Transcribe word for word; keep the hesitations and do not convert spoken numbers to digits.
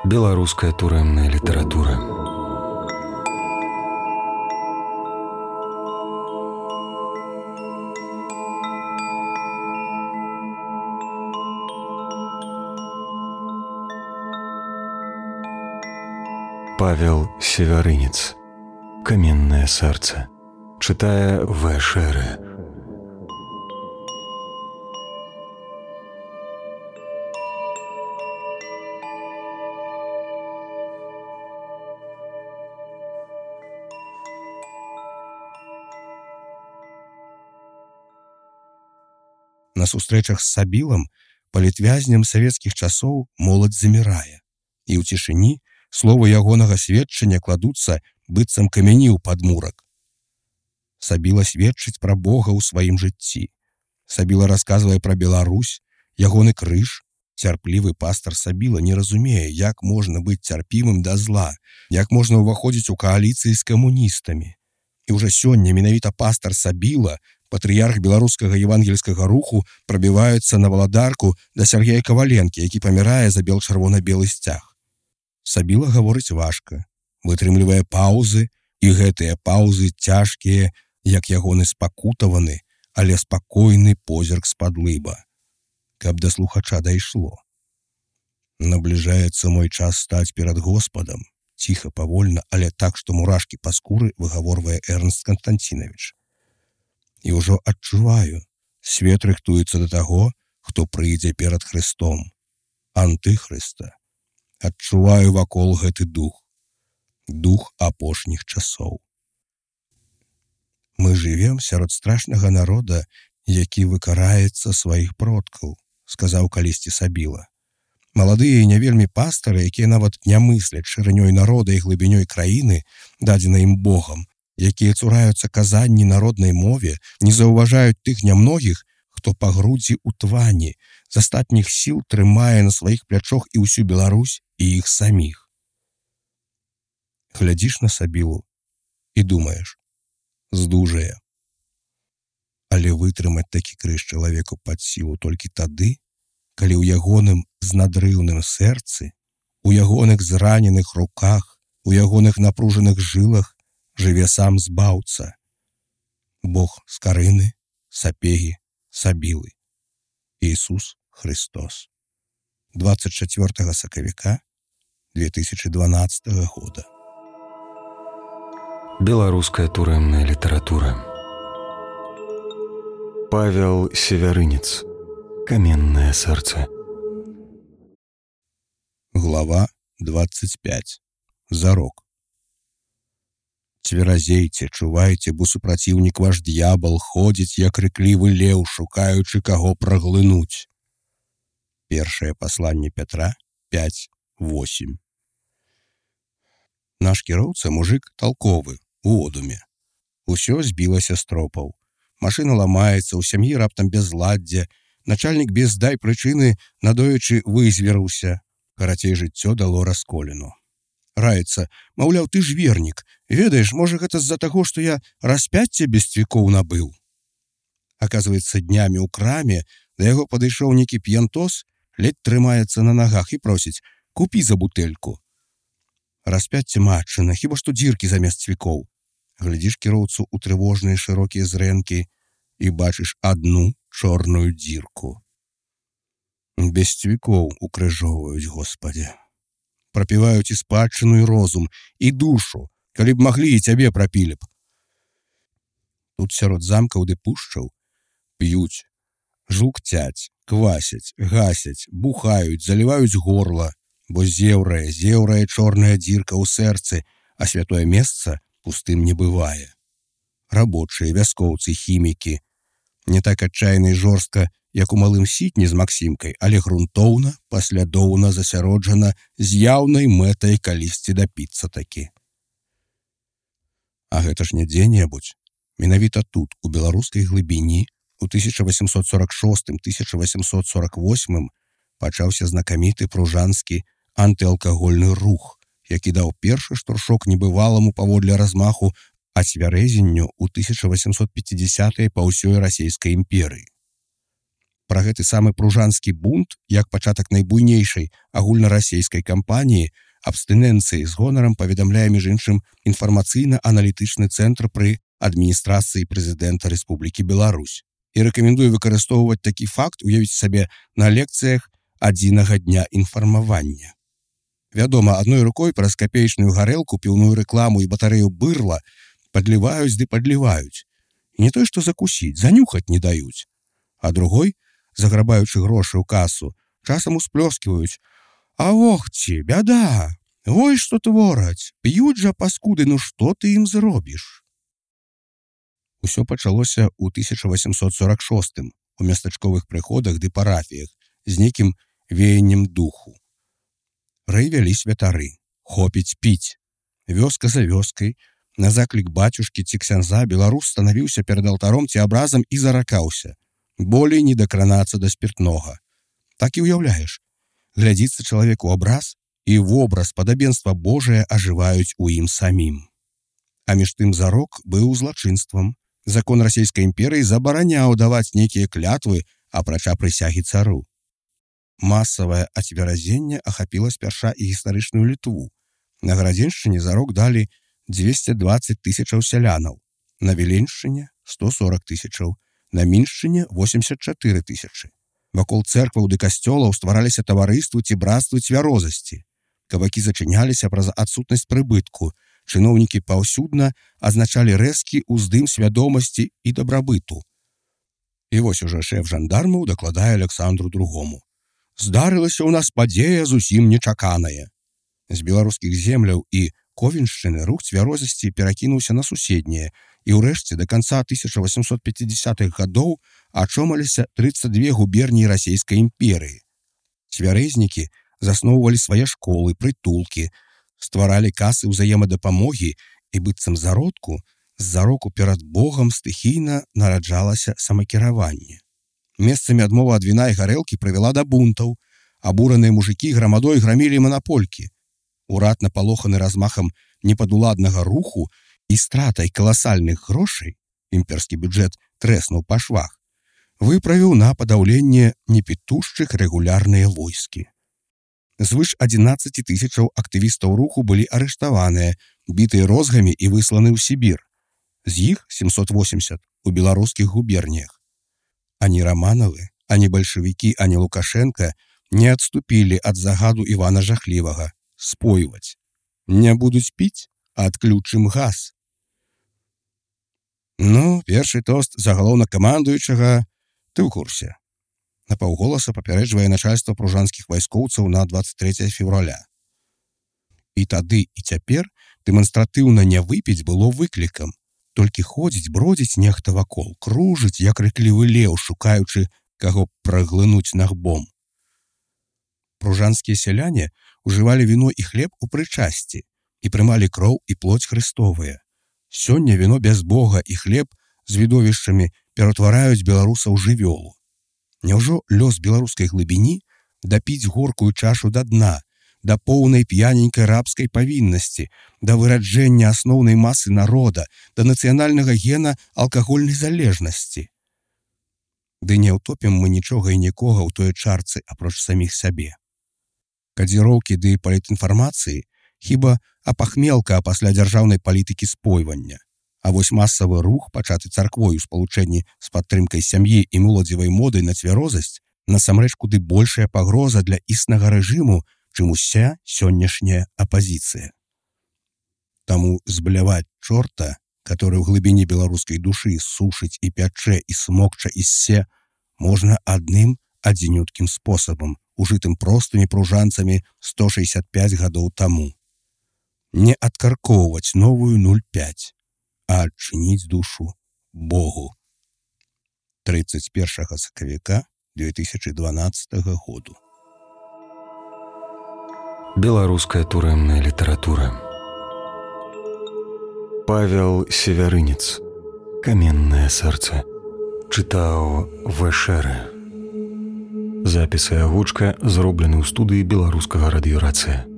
Беларуская турэмная літаратура. Павел Севярынец. Каменное сердце. Читая В. Шеры. На сустрэчах з Сабілам, палітвязням савецкіх часоў, моладзь замірае, і ў цішыні словы ягонага сведчання кладуцца быццам камяні ў падмурак. Сабіла сведчыць пра Бога ў сваім жыцці. Сабіла расказвае пра Беларусь, ягоны крыж. Цярплівы пастар Сабіла не разумее, як можна быць цярпімым да зла, як можна ўваходзіць у кааліцыі з камуністамі. І ўжо сёння менавіта пастар Сабіла, патрыярх беларускага евангельскага руху, прабіваецца на валадарку да Сергея Каваленкі, які памірае за бел-чырвона-белы сцяг. Сабіла гаворыць важка, вытрымлівае паўзы, і гэтыя паўзы цяжкія, як ягоны спакутаваны, але спакойны позірк з-пад лыба. Каб да слухача дайшло. Набліжаецца мой час стаць перад Господам. Ціха, павольна, але так, што мурашкі па скуры выгаворвае Эрнст Константинович. І ўжо адчуваю, свет рыхтуецца да таго, хто прыйдзе перад Христом. Антыхрыста. Адчуваю вакол гэты дух. Дух апошніх часоў. Мы жывем сярод страшнага народа, які выкараецца сваіх продкаў, сказаў калісьці Сабіла. Маладыя і не вельмі пастары, якія нават не мысляць шырынёй народа і глыбінёй краіны, дадзенай ім Богам, якія цураюцца казанні народнай мове, не заўважаюць тых нямногіх, хто па грудзі ў твані, з астатніх сіл трымае на сваіх плячох і ўсю Беларусь, і іх саміх. Глядзіш на Сабілу і думаеш, здужае. Але вытрымаць такі крыж чалавеку пад сілу толькі тады, калі ў ягоным знадрыўным сэрцы, у ягоных зраненых руках, у ягоных напружаных жылах жыве сам збаўца. Бог з Карыны, Сапегі, Сабілы. Ісус Христос. двадцать чацвёртага сакавіка две тысячи дванаццатага года. Беларуская турэмная літаратура. Павел Севярынец. Каменное сердце. Глава двадцать пять. Зарок. Цверазейце, чувайце, бо супраціўнік ваш д'ябал ходзіць, як крыклівы леў, шукаючы каго праглынуць. Першае пасланне Пятра пять восемь. Наш кіроўца мужик талковы, у одуме. Усё збілася з тропаў. Машына ламаецца, у сям'і раптам безладдзе, начальнік без дай прычыны надоечы вызверыўся. Карацей, жыццё дало расколіну. Раецца, маўляў, ты ж вернік. Ведаеш, можа, гэта з-за таго, што я распяцце без цвікоў набыў. Аказваецца, днямі ў краме да яго падышоў нейкі п'янтос, ледь трымаецца на нагах і просіць: купі за бутэльку. Распяцце матчына, хіба што дзіркі замест цвікоў. Глядзіш кіроўцу ў трывожныя шырокія зрэнкі і бачыш адну чорную дзірку. Без цвікоў укрыжоўваюць, Господі. Прапіваюць і спадчыну, і розум, і душу, калі б маглі, і цябе прапілі б. Тут сярод замкаў ды пушчаў п'юць, жлукцяць, квасяць, гасяць, бухаюць, заліваюць горла, бо зеўрае, зеўрае чорная дзірка ў сэрцы, а святое месца пустым не бывае. Рабочыя, вяскоўцы, хімікі. Не так адчайна і жорстка, як у малым сітні з Максімкай, але грунтоўна, паслядоўна, засяроджана, з яўнай мэтай калісьці дапіцца такі. А гэта ж не дзе-небудзь. Менавіта тут, у беларускай глыбіні, у тысяча восемьсот сорок шостым — тысяча восемьсот сорок восьмым пачаўся знакаміты пружанскі антыалкагольны рух, які даў першы штуршок небываламу паводле размаху ацвярэзенню ў тысяча восемьсот пятидесятые па ўсёй расійскай імперыі. Пра гэты самы пружанскі бунт, як пачатак найбуйнейшай агульнарасійскай кампаніі, абстынэнцыі з гонарам паведамляе, між іншым, інфармацыйна-аналітычны цэнтр пры адміністрацыі прэзідэнта Рэспублікі Беларусь. І рэкамендую выкарыстоўваць такі факт, уявіць сабе на лекцыях адзінага дня інфармавання. Вядома, адной рукой праз капеечную гарэлку, піўную рэкламу і батарэю бырла падліваюць ды падліваюць. І не той, што закусіць, занюхаць не даюць. А другой, заграбаючы грошы ў касу, часам усплёсківаюць: «А ох ці, бяда! Ой, што твораць! П'юць жа паскуды, ну што ты ім зробіш?» Усё пачалося ў тысяча васемсот сорак шостым у местачковых прыходах ды парафіях з нейкім веяннем духу. Рэй вялі святары, хопіць піць. Вёска за вёскай, на заклік бацюшкі ці ксяндза беларус станавіўся перад алтаром ці абразам і заракаўся: болей не дакранацца да спіртнога. Так і ўяўляеш, глядзіцца чалавек у абраз, і вобраз падабенства Божае ажываюць у ім самім. А між тым зарок быў злачынствам. Закон расійскай імперыі забараняў даваць нейкія клятвы, апрача прысягі цару. Масавае ацверазенне ахапіла спярша і гістарычную Літву. На Гарадзеншчыне зарок далі дзвесце дваццаць тысячаў сялянаў, на Віленшчыне сто сорок тысячаў, на Міншчыне восемьдесят чатыры тысячы. Вакол цэркваў ды касцёлаў ствараліся таварыствы ці брацтвы цвярозасці. Кавакі зачыняліся праз адсутнасць прыбытку. Чыноўнікі паўсюдна азначалі рэзкі ўздым свядомасці і дабрабыту. І вось ужо шэф жандармаў дакладае Аляксандру другому: «Здарылася ў нас падзея зусім нечаканая». З беларускіх земляў і Ковеншчыны рух цвярозасці перакінуўся на суседнія, і ўрэшце да канца тысяча васемсот пяцідзясятых гадоў ачомаліся трыццаць дзве губерніі расійскай імперыі. Цвярэзнікі засноўвалі свае школы, прытулкі, стваралі касы ўзаемадапамогі, і быццам зародку, з зароку перад Богам стыхійна нараджалася самакіраванне. Месцамі адмова ад віна і гарэлкі прывяла да бунтаў. Абураныя мужыкі грамадой грамілі манаполькі. Урад, напалоханы размахам непадуладнага руху і стратай каласальных грошай, імперскі бюджэт трэснуў па швах, выправіў на падаўленне непітушчых рэгулярныя войскі. Звыш адзінаццаць тысячаў актывістаў руху былі арыштаваныя, бітыя розгамі і высланы ў Сібір. З іх сямсот восемьдесят у беларускіх губерніях. Ані Раманавы, ані бальшавікі, ані Лукашенка не адступілі ад загаду Івана Жахлівага спойваць. Не будуць піць, а адключым газ. Ну, першы тост загалоўнакамандуючага ты ў курсе. Напаўголаса папярэджвае начальства пружанскіх вайскоўцаў на дваццаць трэцяе февраля. І тады, і цяпер дэманстратыўна не выпіць было выклікам. Толькі ходзіць, бродзіць нехта вакол, кружыць, як рыклівы леў, шукаючы, каго праглынуць нагбом. Пружанскія сяляне ўжывалі віно і хлеб у прычасці і прымалі кроў і плоть Хрыстовыя. Сёння віно без Бога і хлеб з відовішчамі ператвараюць беларуса ў жывёлу. Няўжо лёс беларускай глыбіні дапіць горкую чашу да дна, да поўнай п'яненькай рабскай павіннасці, да выраджэння асноўнай масы народа, да нацыянальнага гена алкагольнай залежнасці? Ды не ўтопім мы нічога і нікога ў той чарцы апроч саміх сябе. Кадзіроўкі ды палітінфармацыі хіба апахмелка пасля дзяржаўнай палітыкі спойвання. А вось масавы рух, пачаты царквой у спалучэнні з падтрымкай сям'і і моладзевай модай на цвярозасць, насамрэч куды большая пагроза для існага рэжыму, чым уся сённяшняя апазіцыя. Таму збляваць чорта, который ў глыбіні беларускай душы сушыць і пячэ, і смокча, і ссе, можна адным адзінюткім спосабам, ужытым простымі пружанцамі сто шэсцьдзесят пяць гадоў таму. Не адкаркоўваць новую нуль пяць, а адчыніць душу Богу. трыццаць першага сакавіка две тысячи дванаццатага году. Беларуская турэмная літаратура. Павел Севярынец. Каменнае сэрца. Чытаў Вэшэры. Запіс і агучка зроблены ў студыі беларускага радыёрацыя.